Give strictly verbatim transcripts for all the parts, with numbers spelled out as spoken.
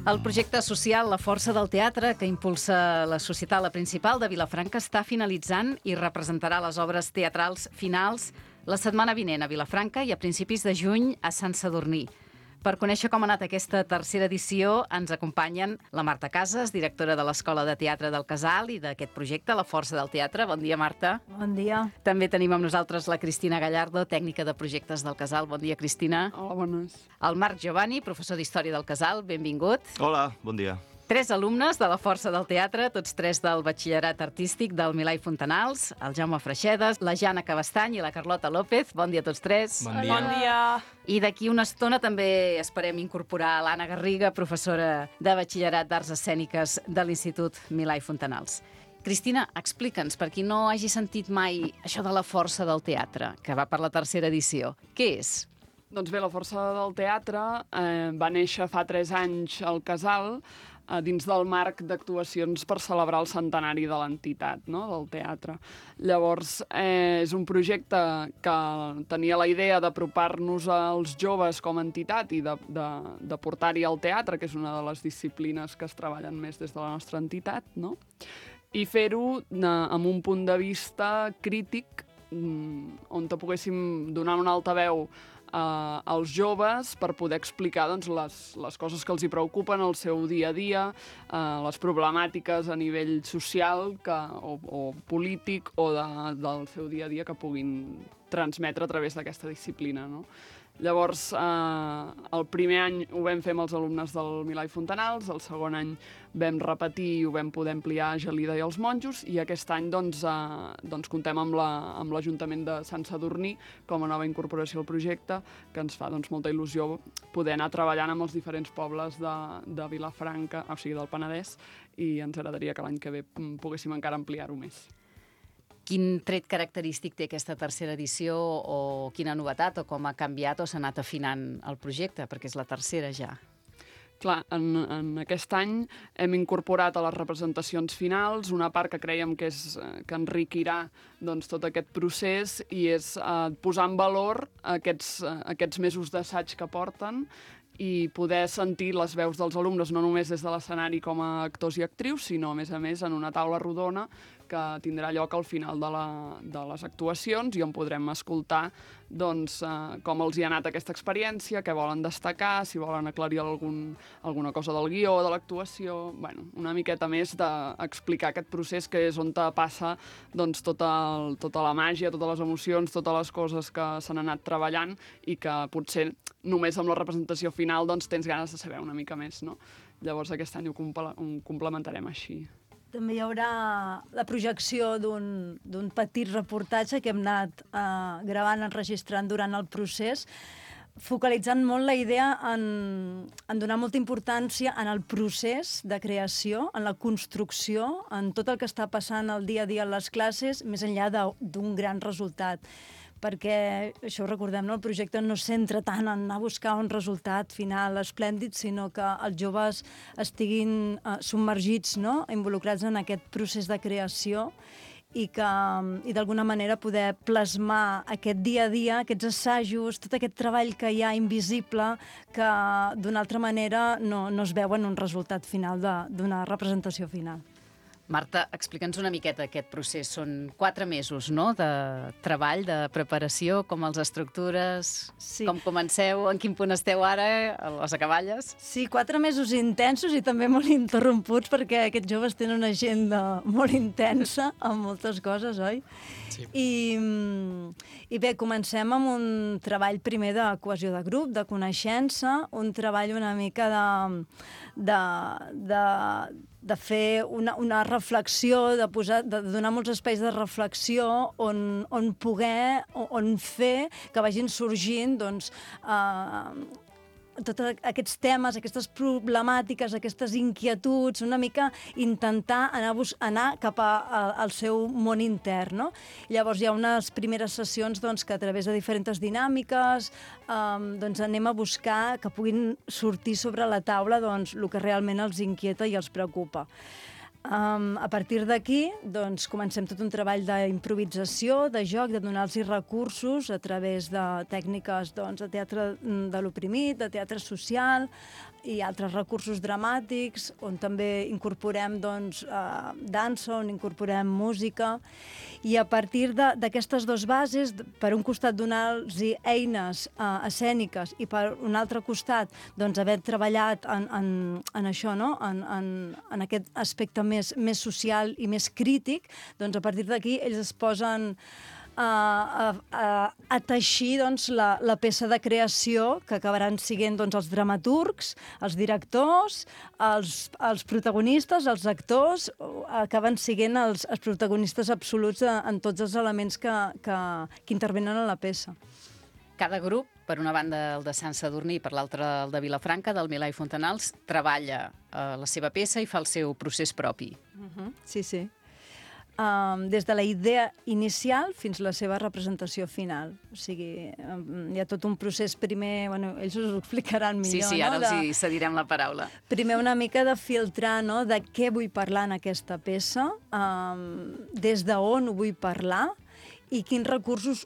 El projecte social La Força del Teatre, que impulsa la Societat La Principal de Vilafranca, està finalitzant i representarà les obres teatrals finals la setmana vinent a Vilafranca i a principis de juny a Sant Sadurní. Per conèixer com ha anat aquesta tercera edició, ens acompanyen la Marta Casas, directora de l'Escola de Teatre del Casal i d'aquest projecte, La Força del Teatre. Bon dia, Marta. Bon dia. També tenim amb nosaltres la Cristina Gallardo, tècnica de projectes del Casal. Bon dia, Cristina. Hola, bones. El Marc Giovanni, professor d'Història del Casal. Benvingut. Hola, bon dia. Tres alumnes de la Força del Teatre, tots tres del Batxillerat Artístic del Milà i Fontanals, el Jaume Freixedes, la Jana Cabestany i la Carlota López. Bon dia a tots tres. Bon dia. Bon dia. I d'aquí una estona també esperem incorporar l'Anna Garriga, professora de Batxillerat d'Arts Escèniques de l'Institut Milà i Fontanals. Cristina, explica'ns, per qui no hagi sentit mai això de la Força del Teatre, que va per la tercera edició. Què és? Doncs bé, la Força del Teatre eh, va néixer fa tres anys al Casal, eh, dins del marc d'actuacions per celebrar el centenari de l'entitat, no?, del teatre. Llavors, eh, és un projecte que tenia la idea d'apropar-nos als joves com a entitat i de, de, de portar-hi al teatre, que és una de les disciplines que es treballen més des de la nostra entitat, no?, i fer-ho eh, amb un punt de vista crític, on te poguéssim donar un altaveu Uh, als joves per poder explicar doncs, les, les coses que els hi preocupen al seu dia a dia, uh, les problemàtiques a nivell social que, o, o polític o de, del seu dia a dia que puguin transmetre a través d'aquesta disciplina, no? Llavors, eh, el primer any ho vam fer amb els alumnes del Milà i Fontanals, el segon any vam repetir i ho vam poder ampliar a Gelida i els monjos, i aquest any doncs, eh, doncs comptem amb l'Ajuntament la, de Sant Sadurní com a nova incorporació al projecte, que ens fa doncs, molta il·lusió poder anar treballant amb els diferents pobles de, de Vilafranca, o sigui, del Penedès, i ens agradaria que l'any que ve poguéssim encara ampliar-ho més. Quin tret característic té aquesta tercera edició o quina novetat o com ha canviat o s'ha anat afinant el projecte, perquè és la tercera ja? Clar, en, en aquest any hem incorporat a les representacions finals una part que creiem que, és, que enriquirà doncs, tot aquest procés i és eh, posar en valor aquests, aquests mesos d'assaig que porten i poder sentir les veus dels alumnes no només des de l'escenari com a actors i actrius, sinó a més a més en una taula rodona que tindrà lloc al final de, la, de les actuacions i on podrem escoltar doncs, eh, com els hi ha anat aquesta experiència, què volen destacar, si volen aclarir algun, alguna cosa del guió, de l'actuació, bueno, una miqueta més d'explicar aquest procés que és on te passa doncs, tota, el, tota la màgia, totes les emocions, totes les coses que s'han anat treballant i que potser només amb la representació final doncs, tens ganes de saber una mica més, no? Llavors aquest any ho, comple ho complementarem així. També hi haurà la projecció d'un petit reportatge que hem anat eh, gravant, enregistrant durant el procés, focalitzant molt la idea en, en donar molta importància en el procés de creació, en la construcció, en tot el que està passant el dia a dia en les classes, més enllà d'un gran resultat. Perquè, això ho recordem, no? El projecte no es centra tant en anar a buscar un resultat final esplèndid, sinó que els joves estiguin eh, submergits, no?, involucrats en aquest procés de creació i que i d'alguna manera poder plasmar aquest dia a dia, aquests assajos, tot aquest treball que hi ha invisible que d'una altra manera no, no es veu en un resultat final d'una representació final. Marta, explica'ns una miqueta aquest procés. Són quatre mesos, no?, de treball, de preparació, com els estructures, sí. Com comenceu, en quin punt esteu ara, a les acaballes? Sí, quatre mesos intensos i també molt interromputs perquè aquests joves tenen una agenda molt intensa amb moltes coses, oi? Sí. I, I bé, comencem amb un treball primer de cohesió de grup, de coneixença, un treball una mica de... de, de de fer una, una reflexió, de, posar, de donar molts espais de reflexió on, on poder, on fer que vagin sorgint doncs, eh, tots aquests temes, aquestes problemàtiques, aquestes inquietuds, una mica intentar anar, anar cap a, a, al seu món intern, no? Llavors hi ha unes primeres sessions doncs, que a través de diferents dinàmiques um, doncs anem a buscar que puguin sortir sobre la taula doncs, el que realment els inquieta i els preocupa. Um, a partir d'aquí, doncs, comencem tot un treball d'improvisació, de joc, de donar-los recursos a través de tècniques doncs, de teatre de l'oprimit, de teatre social i altres recursos dramàtics, on també incorporem doncs, uh, dansa, on incorporem música. I a partir d'aquestes dues bases, per un costat donar-los eines uh, escèniques i per un altre costat doncs, haver treballat en, en, en això, no? en, en, en aquest aspecte més, més social i més crític, doncs a partir d'aquí ells es posen a, a, a, a teixir doncs, la, la peça de creació que acabaran siguent doncs, els dramaturgs, els directors, els, els protagonistes, els actors, acaben siguent els, els protagonistes absoluts de, en tots els elements que, que, que intervenen en la peça. Cada grup, per una banda el de Sant Sadurní i per l'altra el de Vilafranca, del Milà i Fontanals, treballa eh, la seva peça i fa el seu procés propi. Uh-huh. Sí, sí. Um, des de la idea inicial fins a la seva representació final. O sigui, um, hi ha tot un procés primer... Bueno, ells us ho explicaran millor, sí, sí, ara no? els hi cedirem la paraula. Primer una mica de filtrar, no?, de què vull parlar en aquesta peça, um, des d'on ho vull parlar i quins recursos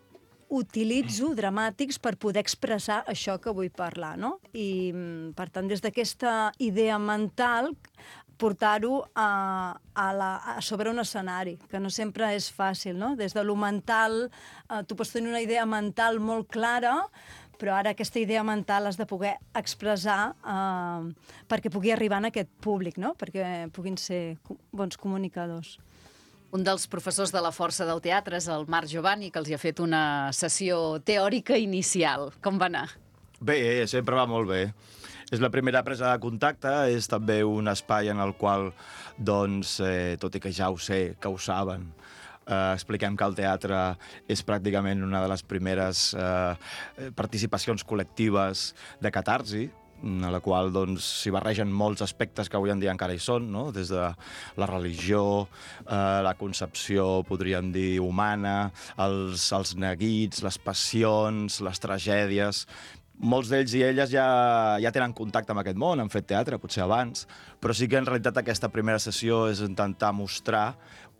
utilitzo dramàtics per poder expressar això que vull parlar, no? I, per tant, des d'aquesta idea mental, portar-ho a, a, la, a sobre un escenari, que no sempre és fàcil, no? Des de lo mental, eh, tu pots tenir una idea mental molt clara, però ara aquesta idea mental has de poder expressar eh, perquè pugui arribar a aquest públic, no? Perquè puguin ser bons comunicadors. Un dels professors de la força del teatre és el Marc Giovanni, que els hi ha fet una sessió teòrica inicial. Com va anar? Bé, sempre va molt bé. És la primera presa de contacte, és també un espai en el qual, doncs, eh, tot i que ja ho sé, que ho saben, eh, expliquem que el teatre és pràcticament una de les primeres eh, participacions col·lectives de catarsi, a la qual doncs, s'hi barregen molts aspectes que avui en dia encara hi són, no? Des de la religió, eh, la concepció, podríem dir, humana, els, els neguits, les passions, les tragèdies. Molts d'ells i elles ja, ja tenen contacte amb aquest món, han fet teatre, potser abans, però sí que en realitat aquesta primera sessió és intentar mostrar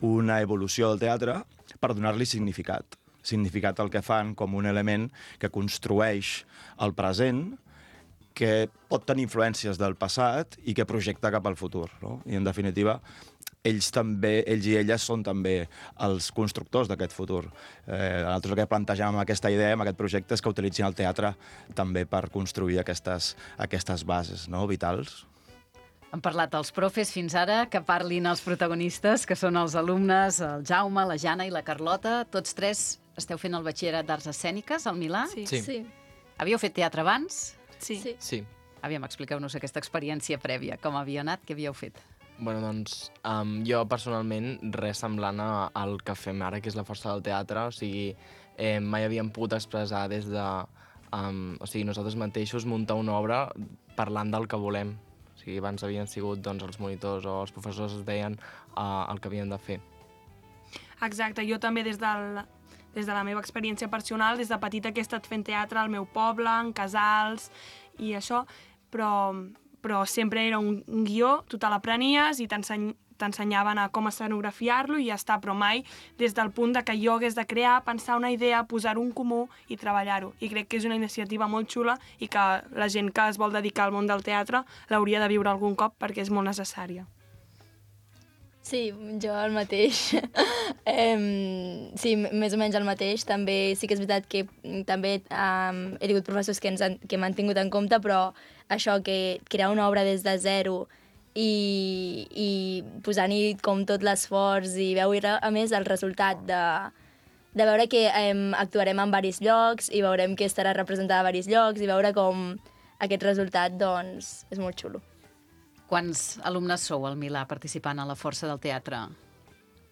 una evolució del teatre per donar-li significat. Significat al que fan com un element que construeix el present, que pot tenir influències del passat i que projecta cap al futur, no? I, en definitiva, ells també, ells i elles són també els constructors d'aquest futur. Eh, nosaltres el que plantegem amb aquesta idea, amb aquest projecte, és que utilitzin el teatre també per construir aquestes, aquestes bases, no?, vitals. Han parlat els profes fins ara, que parlin els protagonistes, que són els alumnes, el Jaume, la Jana i la Carlota. Tots tres esteu fent el batxillerat d'Arts Escèniques al Milà? Sí. Sí. sí. Havíeu fet teatre abans? Sí. sí. Sí. Aviam, expliqueu-nos aquesta experiència prèvia. Com havia anat? Què havíeu fet? Bueno, doncs, um, jo personalment res semblant a- al que fem ara, que és la força del teatre. O sigui, eh, mai havíem pogut expressar des de... Um, o sigui, nosaltres mateixos muntar una obra parlant del que volem. O sigui, abans havien sigut doncs, els monitors o els professors es deien uh, el que havien de fer. Exacte, jo també des del, des de la meva experiència personal, des de petita que he estat fent teatre al meu poble, en casals i això, però, però sempre era un, un guió, tu te l'aprenies i t'enseny, t'ensenyaven a com escenografiar-lo i ja està, però mai des del punt de que jo hagués de crear, pensar una idea, posar-ho en comú i treballar-ho. I crec que és una iniciativa molt xula i que la gent que es vol dedicar al món del teatre l'hauria de viure algun cop perquè és molt necessària. Sí, jo el mateix. um, sí, més o menys el mateix. També sí que és veritat que també um, he tingut professors que, ens han, que m'han tingut en compte, però això, que crear una obra des de zero i, i posant-hi com tot l'esforç i veure, a més, el resultat de, de veure que um, actuarem en diversos llocs i veurem que estarà representada a diversos llocs i veure com aquest resultat, doncs, és molt xulo. Quants alumnes sou al Milà participant a la força del teatre?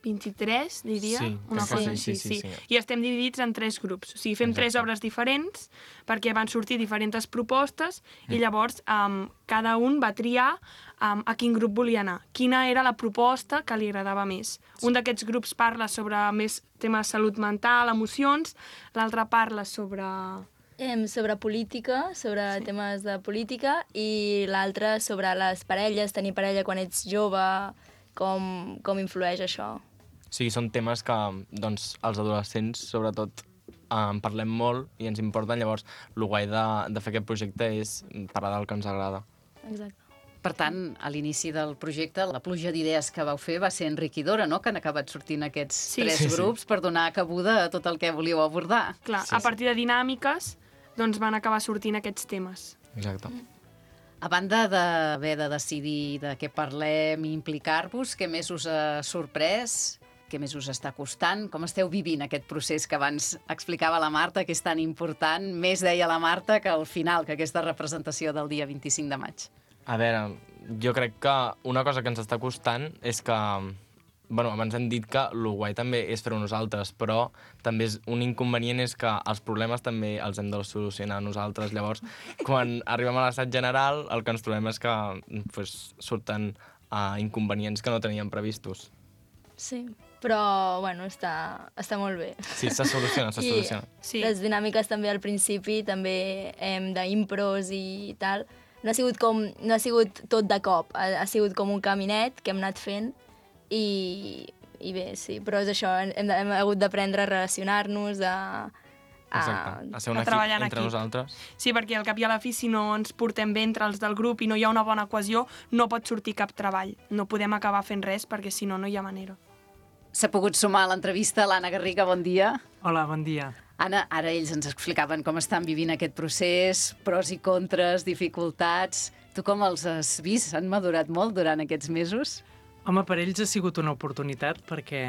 vint-i-tres, diria, Sí, una crec que cosa sí, així, sí, sí, sí. I estem dividits en tres grups. O sigui, fem Exacte. tres obres diferents perquè van sortir diferents propostes i llavors um, cada un va triar um, a quin grup volia anar, quina era la proposta que li agradava més. Un d'aquests grups parla sobre més temes de salut mental, emocions, l'altre parla sobre... Em, sobre política, sobre sí. temes de política, i l'altre sobre les parelles, tenir parella quan ets jove, com, com influeix això. Sí, són temes que doncs, els adolescents, sobretot, en parlem molt i ens importen. Llavors, el guai de, de fer aquest projecte és parlar del que ens agrada. Exacte. Per tant, a l'inici del projecte, la pluja d'idees que vau fer va ser enriquidora, no?, que han acabat sortint aquests Sí. tres Sí, sí. grups per donar cabuda a tot el que volíeu abordar. Clar, Sí, a sí. partir de dinàmiques, doncs van acabar sortint aquests temes. Exacte. A banda d'haver de decidir de què parlem i implicar-vos, què més us ha sorprès? Què més us està costant? Com esteu vivint aquest procés que abans explicava la Marta, que és tan important? Més deia la Marta que al final, que aquesta representació del dia vint-i-cinc de maig. A veure, jo crec que una cosa que ens està costant és que... Bueno, abans hem dit que el guai també és fer-ho nosaltres, però també és un inconvenient és que els problemes també els hem de solucionar nosaltres. Llavors, quan arribem a l'assaig general, el que ens trobem és que pues, surten uh, inconvenients que no teníem previstos. Sí, però, bueno, està, està molt bé. Sí, se soluciona, se I soluciona. Sí. les dinàmiques també al principi, també hem d'impros i tal, no ha sigut com, no ha sigut tot de cop, ha, ha sigut com un caminet que hem anat fent i, i bé, sí, però és això, hem, hem hagut d'aprendre a relacionar-nos, a... a... Exacte, a ser un a equip treballar en entre equip. nosaltres. Sí, perquè al cap i a la fi, si no ens portem bé entre els del grup i no hi ha una bona cohesió, no pot sortir cap treball. No podem acabar fent res perquè si no, no hi ha manera. S'ha pogut sumar a l'entrevista l'Anna Garriga, bon dia. Hola, bon dia. Anna, ara ells ens explicaven com estan vivint aquest procés, pros i contres, dificultats. Tu com els has vist? Han madurat molt durant aquests mesos? Home, per ells ha sigut una oportunitat perquè,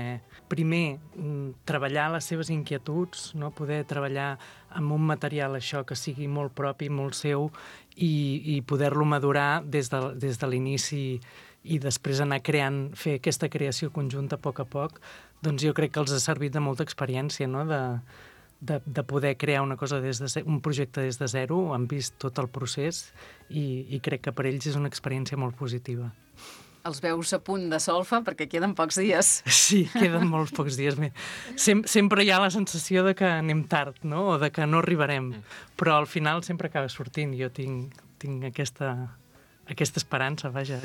primer, mm, treballar les seves inquietuds, no? Poder treballar amb un material això que sigui molt propi, molt seu, i, i poder-lo madurar des de, des de l'inici i després anar creant, fer aquesta creació conjunta a poc a poc, doncs jo crec que els ha servit de molta experiència, no?, de, de, de poder crear una cosa des de ze- un projecte des de zero, han vist tot el procés i, i crec que per ells és una experiència molt positiva. Els veus a punt de solfa perquè queden pocs dies. Sí, queden molts pocs dies més. Sem sempre hi ha la sensació de que anem tard, no?, o de que no arribarem, però al final sempre acaba sortint. Jo tinc, tinc aquesta, aquesta esperança, vaja.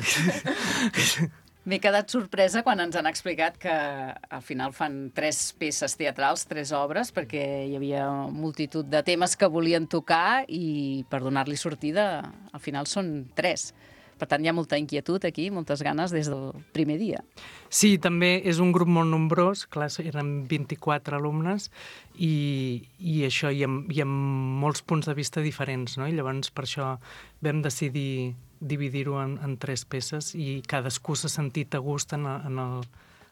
M'he quedat sorpresa quan ens han explicat que al final fan tres peces teatrals, tres obres, perquè hi havia multitud de temes que volien tocar i per donar-li sortida, al final són tres. Per tant, hi ha molta inquietud aquí, moltes ganes des del primer dia. Sí, també és un grup molt nombrós, clar, eren vint-i-quatre alumnes, i, i això, i amb, i amb molts punts de vista diferents, no? I llavors per això vam decidir dividir-ho en, en tres peces i cadascú s'ha sentit a gust en, en, el,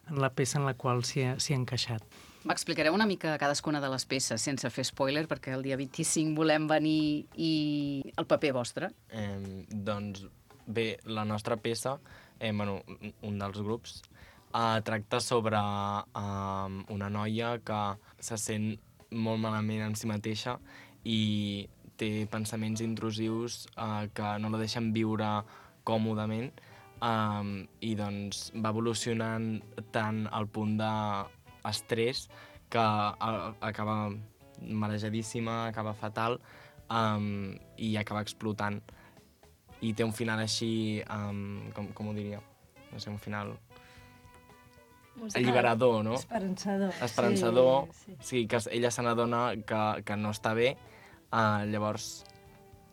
en la peça en la qual s'hi ha, s'hi ha encaixat. M'explicareu una mica cadascuna de les peces, sense fer spoiler, perquè el dia vint-i-cinc volem venir i el paper vostre. Eh, doncs bé, la nostra peça, eh, bueno, un dels grups, eh, tracta sobre eh, una noia que se sent molt malament en si mateixa i té pensaments intrusius eh, que no la deixen viure còmodament eh, i doncs va evolucionant tant al punt d'estrès que a, acaba marejadíssima, acaba fatal eh, i acaba explotant. I té un final així, um, com, com ho diria? No sé, un final alliberador, no? Esperançador. Esperançador. Sí, sí. Sí, que ella se n'adona que, que no està bé. Uh, llavors,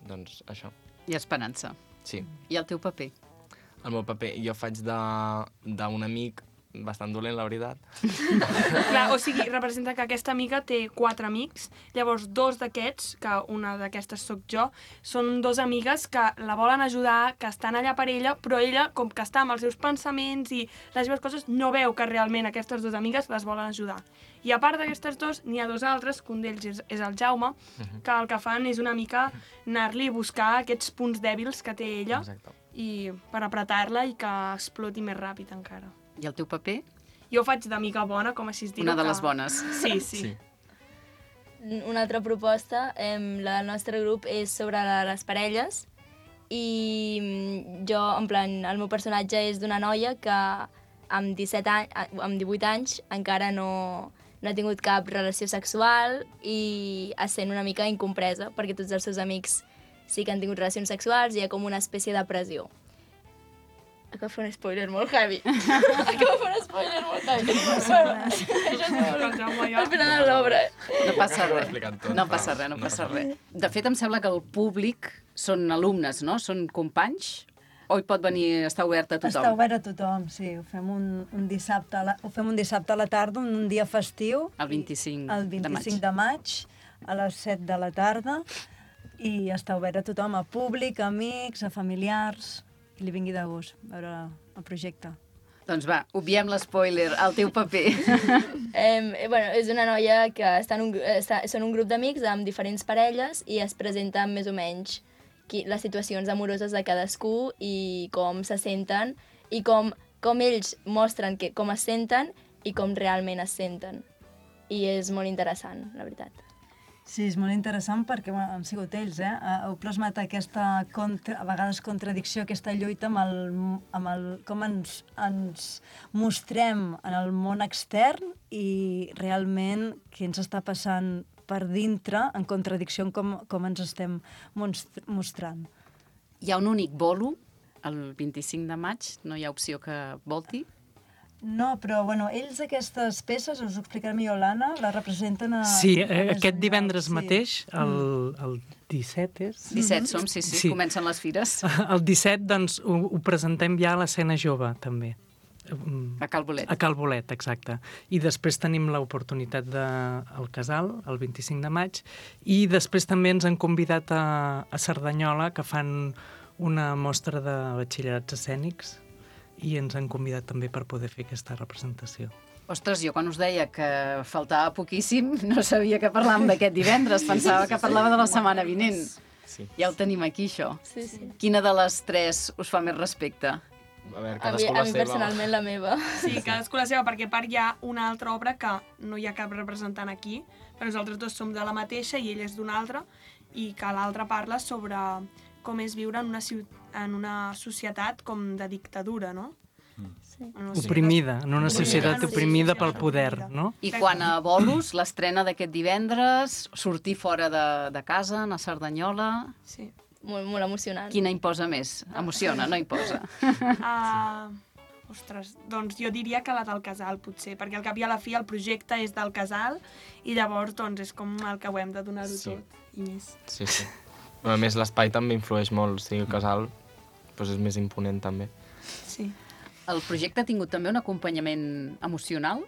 doncs, això. I esperança. Sí. I el teu paper? El meu paper, jo faig d'un amic bastant dolent, la veritat. Clar, o sigui, representa que aquesta amiga té quatre amics, llavors dos d'aquests, que una d'aquestes sóc jo, són dos amigues que la volen ajudar, que estan allà per ella, però ella, com que està amb els seus pensaments i les seves coses, no veu que realment aquestes dues amigues les volen ajudar. I a part d'aquestes dos, n'hi ha dos altres, que un d'ells és, és el Jaume, que el que fan és una mica anar-li a buscar aquests punts dèbils que té ella Exacte. i per apretar-la i que exploti més ràpid encara. I el teu paper? Jo faig d'amiga bona, com així es diu. Una de que- les bones. Sí, sí. Sí. Una altra proposta, eh, la del nostre grup, és sobre la, les parelles i mm, jo, en plan, el meu personatge és d'una noia que amb disset anys, amb divuit anys encara no, no ha tingut cap relació sexual i es sent una mica incompresa perquè tots els seus amics sí que han tingut relacions sexuals i hi ha com una espècie de pressió. Acabo de fer un spoiler molt heavy. Acabo de fer un spoiler molt heavy. Això és molt... Al final de l'obra. No passa Ho he res. explicat tot. No passa res, no passa res. De fet, em sembla que el públic són alumnes, no? Són companys? O hi pot venir, està obert a tothom? Està obert a tothom, sí. Ho fem un, un, dissabte, a la, ho fem un dissabte a la tarda, un dia festiu. El vint-i-cinc El de maig. vint-i-cinc de maig, a les set de la tarda. I està obert a tothom, a públic, a amics, a familiars, qui li vingui de gust veure el projecte. Doncs va, obviem l'espoiler, el teu paper. Eh, bueno, és una noia que està en un, està, són un grup d'amics amb diferents parelles i es presenten més o menys qui, les situacions amoroses de cadascú i com se senten i com, com ells mostren que, com es senten i com realment es senten. I és molt interessant, la veritat. Sí, és molt interessant perquè bueno, han sigut ells, eh? Heu plasmat aquesta, contra, a vegades, contradicció, aquesta lluita amb el, amb el com ens, ens mostrem en el món extern i realment què ens està passant per dintre en contradicció amb com, com ens estem mostrant. Hi ha un únic bolo, el vint-i-cinc de maig, no hi ha opció que volti? No, però bueno, ells aquestes peces, us ho explicarà millor l'Anna, les representen a... Sí, a eh, aquest divendres sí. mateix, el, el disset és... disset som, sí, sí, Sí. comencen les fires. El disset, doncs, ho, ho presentem ja a l'escena jove, també. A Cal Bolet. A Cal Bolet, exacte. I després tenim l'oportunitat de al Casal, el vint-i-cinc de maig, i després també ens han convidat a, a Cerdanyola, que fan una mostra de batxillerats escènics, i ens han convidat també per poder fer aquesta representació. Ostres, jo quan us deia que faltava poquíssim, no sabia que parlàvem d'aquest divendres, pensava que parlava de la setmana vinent. Sí. Ja ho tenim aquí, això. Sí, sí. Quina de les tres us fa més respecte? A veure, A mi, cadascú a la mi seva. personalment la meva. Sí, cadascú la seva, perquè a part hi ha una altra obra que no hi ha cap representant aquí, però nosaltres dos som de la mateixa i ell és d'una altra, i que l'altra parla sobre com és viure en una, en una societat com de dictadura, no? Sí. Oprimida, en una societat Oprimida. oprimida Sí, pel sí, poder, oprimida. no? I quan a bolos, l'estrena d'aquest divendres, sortir fora de, de casa, anar a Cerdanyola... Sí. Molt, molt emocionant. Quina imposa més? Emociona, no imposa. Uh, ostres, doncs jo diria que la del Casal, potser, perquè al cap i a la fi el projecte és del Casal i llavors doncs, és com el que ho hem de donar-ho Sí. tot i més. Sí, sí. A més, l'espai també influeix molt. O sigui, el casal doncs és més imponent, també. Sí. El projecte ha tingut també un acompanyament emocional?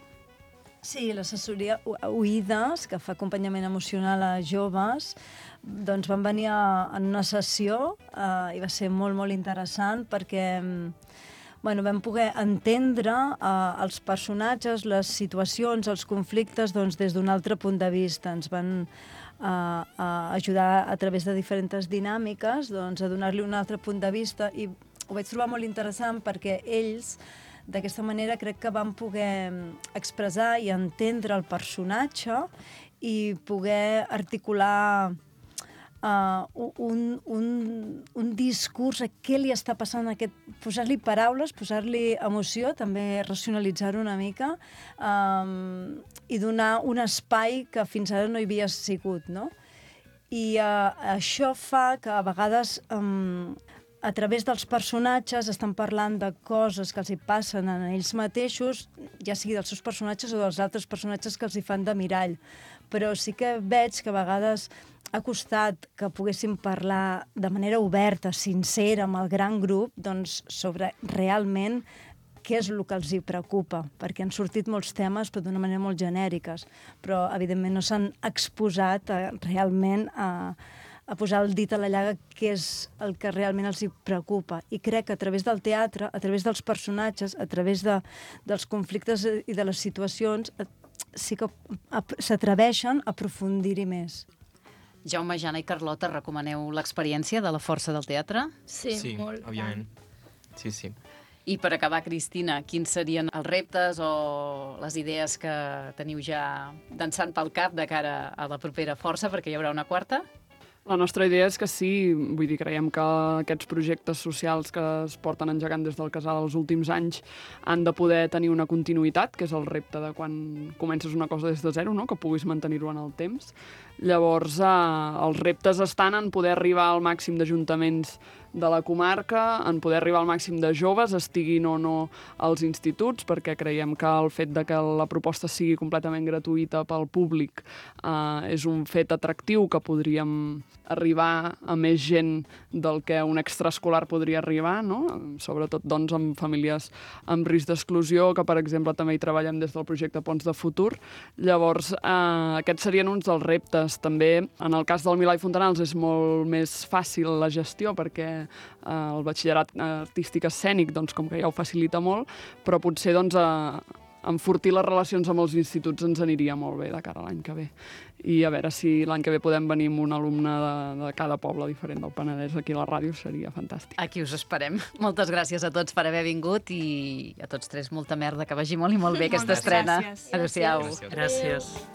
Sí, l'assessoria Oïdes, que fa acompanyament emocional a joves, doncs van venir a, en una sessió eh, i va ser molt, molt interessant perquè bueno, vam poder entendre eh, els personatges, les situacions, els conflictes doncs, des d'un altre punt de vista. Ens van eh, a ajudar a través de diferents dinàmiques doncs, a donar-li un altre punt de vista i ho vaig trobar molt interessant perquè ells d'aquesta manera crec que van poder expressar i entendre el personatge i poder articular uh, un, un, un discurs a què li està passant, aquest, posar-li paraules, posar-li emoció, també racionalitzar-ho una mica um, i donar un espai que fins ara no hi havia sigut, no? I uh, això fa que a vegades um, a través dels personatges estan parlant de coses que els hi passen a ells mateixos, ja sigui dels seus personatges o dels altres personatges que els hi fan de mirall. Però sí que veig que a vegades ha costat que poguéssim parlar de manera oberta, sincera, amb el gran grup, doncs, sobre realment què és el que els hi preocupa, perquè han sortit molts temes però d'una manera molt genèriques, però evidentment no s'han exposat a, realment a a posar el dit a la llaga què és el que realment els hi preocupa. I crec que a través del teatre, a través dels personatges, a través de, dels conflictes i de les situacions, sí que s'atreveixen a aprofundir-hi més. Jaume, Jana i Carlota, recomaneu l'experiència de la força del teatre? Sí, sí, molt. òbviament. Sí, sí. I per acabar, Cristina, quins serien els reptes o les idees que teniu ja dansant pel cap de cara a la propera força, perquè hi haurà una quarta? La nostra idea és que sí, vull dir, creiem que aquests projectes socials que es porten engegant des del Casal els últims anys han de poder tenir una continuïtat, que és el repte de quan comences una cosa des de zero, no? Que puguis mantenir-ho en el temps. Llavors, eh, els reptes estan en poder arribar al màxim d'ajuntaments de la comarca, en poder arribar al màxim de joves, estiguin o no als instituts, perquè creiem que el fet de que la proposta sigui completament gratuïta pel públic eh, és un fet atractiu que podríem arribar a més gent del que un extraescolar podria arribar, no? Sobretot doncs, amb famílies amb risc d'exclusió, que per exemple també hi treballem des del projecte Ponts de Futur. Llavors, eh, aquests serien uns dels reptes. També, en el cas del Milà i Fontanals, és molt més fàcil la gestió, perquè eh, el batxillerat artístic escènic, doncs, com que ja ho facilita molt, però potser doncs, eh, enfortir les relacions amb els instituts ens aniria molt bé de cara a l'any que ve. I a veure si l'any que ve podem venir amb un alumne de, de cada poble diferent del Penedès aquí a la ràdio, seria fantàstic. Aquí us esperem. Moltes gràcies a tots per haver vingut i a tots tres molta merda, que vagi molt i molt bé aquesta Moltes estrena. gràcies. Adéu-siau. Gràcies.